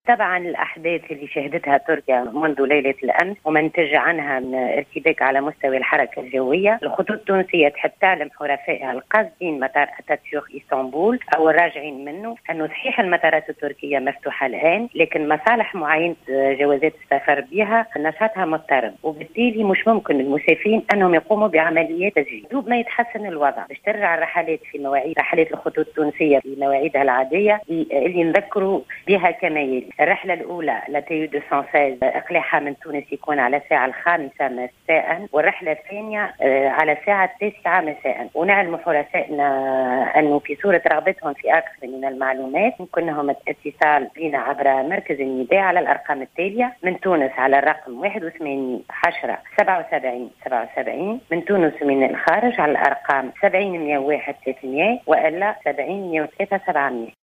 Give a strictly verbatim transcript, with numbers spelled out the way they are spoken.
طبعا الأحداث اللي شهدتها تركيا منذ ليلة الأمس وما نتج عنها من ارتباك على مستوى الحركة الجوية، الخطوط التونسية تحب تعلم حرفائها القاصدين مطار أتاتورك اسطنبول أو الراجعين منه أنه صحيح المطارات التركية مفتوحة الآن، لكن مصالح معاينة جوازات السفر بها نشاطها مضطرب، وبالتالي مش ممكن المسافرين أنهم يقوموا بعمليات تسجيل. دوب ما يتحسن الوضع باش ترجع الرحلات في مواعيد رحلات الخطوط التونسية في مواعيدها العادية اللي نذكروا بها كما يلي. الرحلة الأولى la T U مئتين وستة عشر إقلاعها من تونس يكون على الساعة الخامسة مساء، والرحلة الثانية آه، على الساعة التاسعة مساء. ونعلم حرفائنا أنه في صورة رغبتهم في أكثر من المعلومات يمكنهم الاتصال بنا عبر مركز النداء على الأرقام التالية: من تونس على الرقم واحد وثمانين عشرة سبعة وسبعين سبعة وسبعين، من تونس ومن الخارج على الأرقام سبعين مئة وواحد ثلاثمئة وإلا سبعين مئة وثلاثة سبعمئة.